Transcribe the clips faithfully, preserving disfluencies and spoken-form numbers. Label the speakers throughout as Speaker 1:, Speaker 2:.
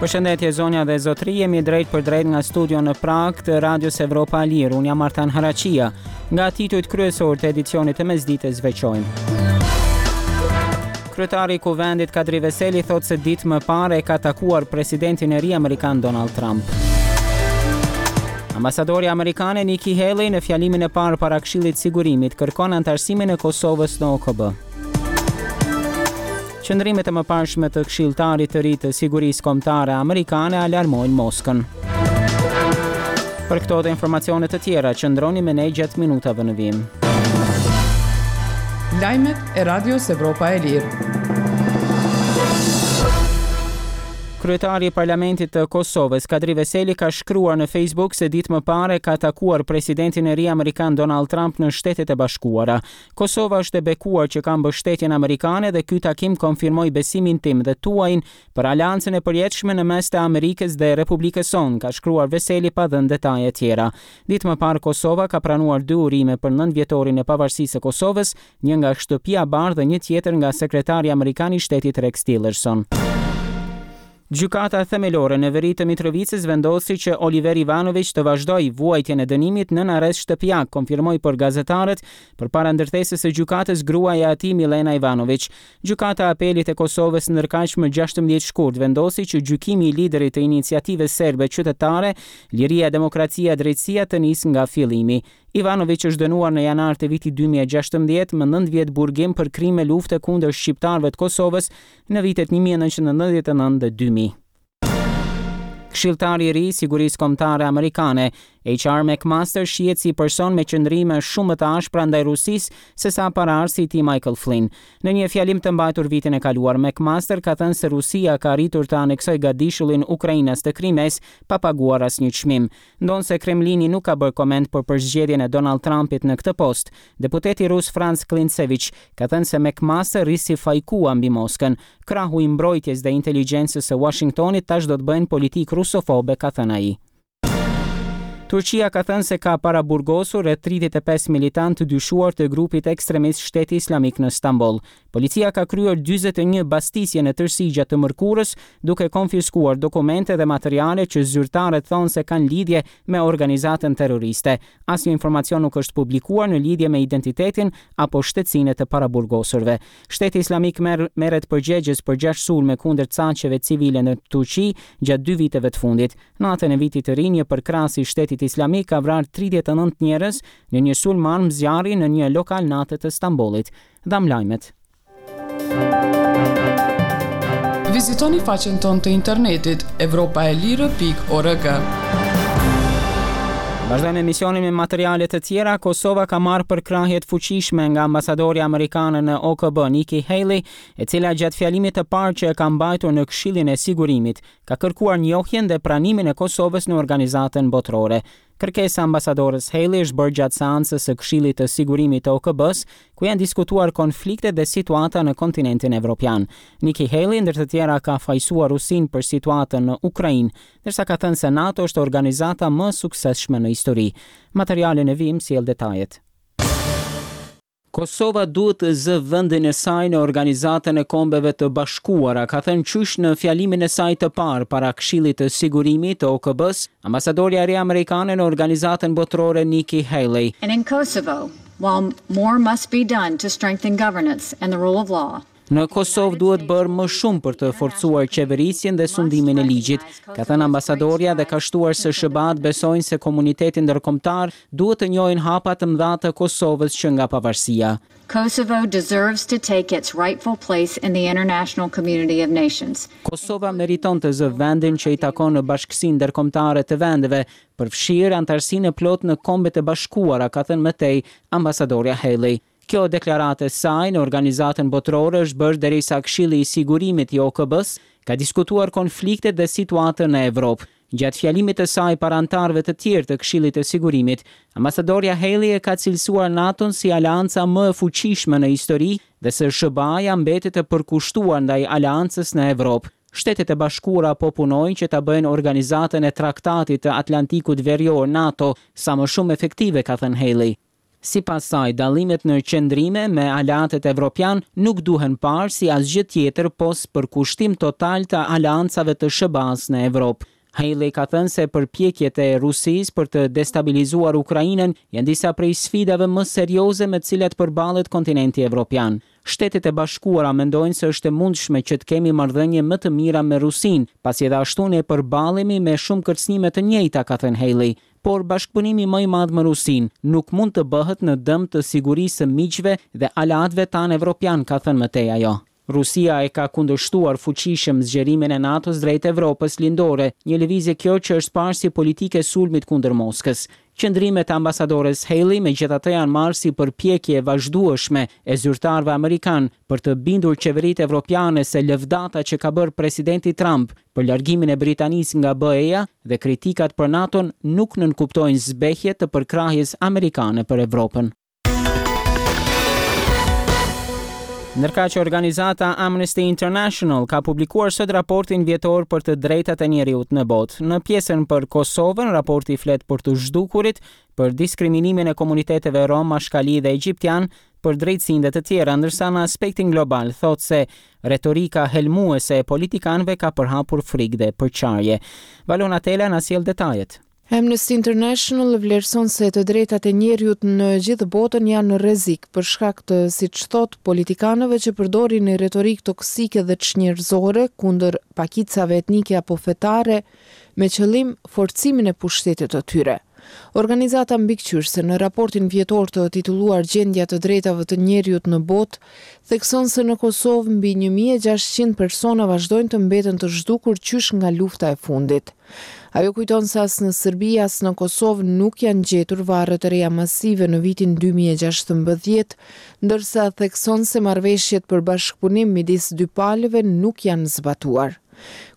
Speaker 1: Përshëndetje, zonja dhe zotri, jemi drejt për drejt nga studio në Prag të Radios Evropa e Lirë. Unë jam Artan Haraqia. Nga titujt kryesor të edicionit të mesditës veçojmë: Kryetari i Kuvendit, Kadri Veseli, thotë se ditë më parë e ka takuar presidentin e ri amerikan, Donald Trump. Ambasadori amerikane Nikki Haley në fjalimin e parë para Këshillit Sigurimit kërkon anëtarësimin e Kosovës në O K B. Qëndrimet e mëparshme të këshilltarit të ri të sigurisë kombëtare amerikane alarmojnë Moskën. Për këto dhe informacione të tjera, qëndroni me ne gjatë minutave në vijim.
Speaker 2: Lajmet e Radios Evropa e Lirë.
Speaker 1: Kryetari i Parlamentit të Kosovës, Kadri Veseli, ka shkruar në Facebook se ditë më parë ka takuar presidentin e ri amerikan, Donald Trump, në Shtetet e Bashkuara. "Kosova është e bekuar që ka mbështetjen amerikane dhe ky takim konfirmoi besimin tim dhe tuajin për aleancën e përjetshme në mes të Amerikës dhe Republikës sonë", ka shkruar Veseli, pa dhënë detaje tjera. Ditë më parë Kosova ka pranuar dy urime për nëntë vjetorin e pavarësisë së Kosovës, një nga Shtëpia e Bardhë dhe një tjetër nga sekretari amerikan i shtetit, Rex Tillerson. Gjykata Themelore në veri të Mitrovicës vendosi që Oliver Ivanovic të vazhdojë vuajtjen e dënimit në arrest shtëpiak, konfirmoi për gazetarët përpara ndërtesës së gjykatës gruaja e atij, Milena Ivanovic. Gjykata e Apelit e Kosovës ndërkaq më gjashtëmbëdhjetë shkurt vendosi që gjykimi i liderit të iniciativës serbe qytetare Liria, Demokracia, Drejtësia të nisë nga fillimi. Ivanovic është dënuar në janar të vitit dy mijë e gjashtëmbëdhjetë me nëntë vjet burgim për krime lufte kundër shqiptarëve të Kosovës në vitet një mijë e nëntëqind e nëntëdhjetë e nëntë dhe dy mijë. Këshilltari i ri i Sigurisë Kombëtare Amerikane, H R. McMaster, shihet si person me qëndrime shumë më të ashpra ndaj Rusisë se sa paraardhësi i tij, Michael Flynn. Në një fjalim të mbajtur vitin e kaluar, McMaster ka thënë se Rusia ka arritur të aneksojë gadishullin ukrainas të Krimes pa paguar asnjë çmim. Ndonëse Kremlini nuk ka bërë koment për përzgjedhjen e Donald Trumpit në këtë post, deputeti rus Franz Klintsevich ka thënë se McMaster risi fajkua mbi Moskën. "Krahu i mbrojtjes dhe inteligjencës së Washingtonit tash do të bëjnë politikë rusofobe", ka thënë ai. Turqia ka thënë se ka paraburgosur rreth tridhjetë e pesë militant të dyshuar të grupit ekstremist Shteti Islamik në Stamboll. Policia ka kryer dyzet e një bastisje në tërësi gjatë të mërkurës, duke konfiskuar dokumente dhe materiale që zyrtarët thonë se kanë lidhje me organizatën terroriste. Asnjë informacion nuk është publikuar në lidhje me identitetin apo shtetësinë e të paraburgosurve. Shteti Islamik merr merret përgjegjës për gjashtë sulme kundër caqeve civile në Turqi gjatë dy viteve të fundit. Natën e vitit të ri, një përkrahës i Shtetit Islamik ka vrarë tridhjetë e nëntë njerëz në një sulm armë zjarri në një lokal nate të Stambollit. Dham lajmet.
Speaker 2: Vizitoni faqen tonë të internetit evropaelire pikë org.
Speaker 1: Vazhdojmë emisionin me materiale të tjera. Kosova ka marrë përkrahje të fuqishme nga ambasadori amerikane në O K B, Nikki Haley, e cila gjatë fjalimit të parë që e ka mbajtur në Këshillin e Sigurimit, ka kërkuar njohjen dhe pranimin e Kosovës në organizatën botërore. Kërkesa ambasadores Haley është bërë gjatë seancës së Këshillit të Sigurimit të O K B-s, ku janë diskutuar konfliktet dhe situata në kontinentin evropian. Nikki Haley ndër të tjera ka fajësuar Rusinë për situatën në Ukrainë, ndërsa ka thënë se NATO është organizata më e suksesshme në histori. Materialin e vim sjell detajet. "Kosova duhet të zë vendin e saj në Organizatën e Kombeve të Bashkuara", ka thënë qysh në fjalimin e saj të parë para Këshillit të Sigurimit të O K B-s, ambasadorja e re amerikane në Organizatën Botërore, Nikki Haley.
Speaker 3: And in Kosovo, while more must be done to strengthen governance and the rule of law,
Speaker 1: "Në Kosovë duhet bërë më shumë për të forcuar qeverisjen dhe sundimin e ligjit", ka thënë ambasadorja dhe ka shtuar se S H B A-t besojnë se komuniteti ndërkombëtar duhet të njohin hapat të mëdha të Kosovës që nga pavarësia.
Speaker 3: Kosovo deserves to take its rightful place in the international community of nations.
Speaker 1: "Kosova meriton të zë vendin që i takon në bashkësinë ndërkombëtare të vendeve, përfshirë anëtarësinë e plotë në Kombet e Bashkuara", ka thënë më tej ambasadorja Haley. Kjo deklaratë e saj në Organizatën Botërore është bërë derisa Këshilli i Sigurimit i O K B-s ka diskutuar konfliktet dhe situatën në Evropë. Gjatë fjalimit të saj para anëtarëve të tjerë të Këshillit të Sigurimit, ambasadorja Haley e ka cilësuar NATO-n si aleanca më e fuqishme në histori dhe se S H B A-ja mbetet e përkushtuar ndaj aleancës në Evropë. "Shtetet e Bashkuara po punojnë që ta bëjnë organizatën e Traktatit të Atlantikut Verior, NATO, sa më shumë efektive", ka thënë Haley. Sipas saj, dallimet në qëndrime me aleatët evropian nuk duhen parë si asgjë tjetër pos përkushtim total të aleancave të S H B A-s në Evropë. Haley ka thënë se përpjekjet e Rusisë për të destabilizuar Ukrainën janë disa prej sfidave më serioze me të cilat përballet kontinenti evropian. Shtetet e Bashkuara mendojnë se është e mundshme që të kemi marrëdhënie më të mira me Rusinë, pasi edhe ashtu ne përballemi me shumë kërcënime të njëjta, ka thënë Haley. Por bashkëpunimi më i madh me Rusinë nuk mund të bëhet në dëm të sigurisë së miqve dhe aleatëve tanë evropian, ka thënë më tej ajo. Rusia e ka kundërshtuar fuqishëm zgjerimin e NATO-s drejt Evropës Lindore, një lëvizje kjo që është parë si politikë e sulmit kundër Moskës. Qëndrimet e ambasadores Haley megjithatë janë marrë si përpjekje e vazhdueshme e zyrtarëve amerikan për të bindur qeveritë evropiane se lëvdata që ka bërë presidenti Trump për largimin e Britanisë nga B E-ja dhe kritikat për NATO-n nuk nënkuptojnë zbehje të përkrahjes amerikane për Evropën. Ndërkaq, organizata Amnesty International ka publikuar sot raportin vjetor për të drejtat e njeriut në botë. Në pjesën për Kosovën, raporti flet për të zhdukurit, për diskriminimin e komuniteteve rom, ashkali dhe egjiptian, për drejtësinë dhe të tjera, ndërsa në aspektin global thotë se retorika helmuese e politikanëve ka përhapur frikë dhe përçarje. Valona Tela na sjell detajet.
Speaker 4: Amnesty International vlerëson se të drejtat e njeriut në gjithë botën janë në rrezik për shkak të, siç thot, politikanëve që përdorin retorikë toksike dhe çnjerëzore kundër pakicave etnike apo fetare me qëllim forcimin e pushtetit të tyre. Organizata mbikëqyrëse, në raportin vjetor të titulluar "Gjendja të drejtave të njeriut në botë", thekson se në Kosovë mbi një mijë e gjashtëqind persona vazhdojnë të mbeten të zhdukur qysh nga lufta e fundit. Ajo kujton se as në Serbi, as në Kosovë nuk janë gjetur varret e reja masive në vitin dy mijë e gjashtëmbëdhjetë, ndërsa thekson se marrëveshjet për bashkëpunim midis dy palëve nuk janë zbatuar.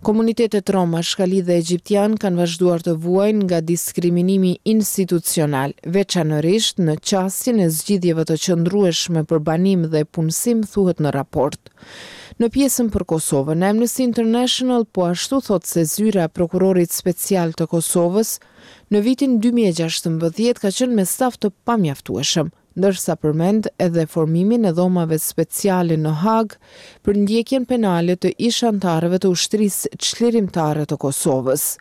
Speaker 4: Komunitetet Roma, Ashkali dhe Egjiptian kanë vazhduar të vuajnë nga diskriminimi institucional, veçanërisht në qasjen e zgjidhjeve të qëndrueshme për banim dhe punësim, thuhet në raport. Në pjesën për Kosovën, Amnesty International po ashtu thot se zyra e prokurorit special të Kosovës në vitin dy mijë e gjashtëmbëdhjetë ka qenë me staf të pamjaftueshëm, ndërsa përmend edhe formimin e dhomave speciale në Hagë për ndjekjen penale të ish anëtarëve të Ushtrisë Çlirimtare të Kosovës.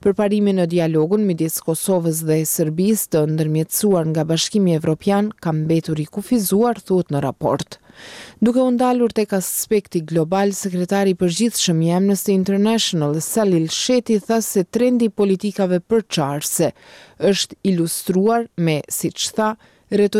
Speaker 4: Përparimi në dialogun midis Kosovës dhe Serbisë, të ndërmjetësuar nga Bashkimi Evropian, ka mbetur i kufizuar, thuhet në raport. Duke u ndalur tek aspekti global, sekretari i përgjithshëm i Amnesty International, Salil Shetty, tha se trendi i politikave përçarëse është ilustruar me, siç tha, retorikë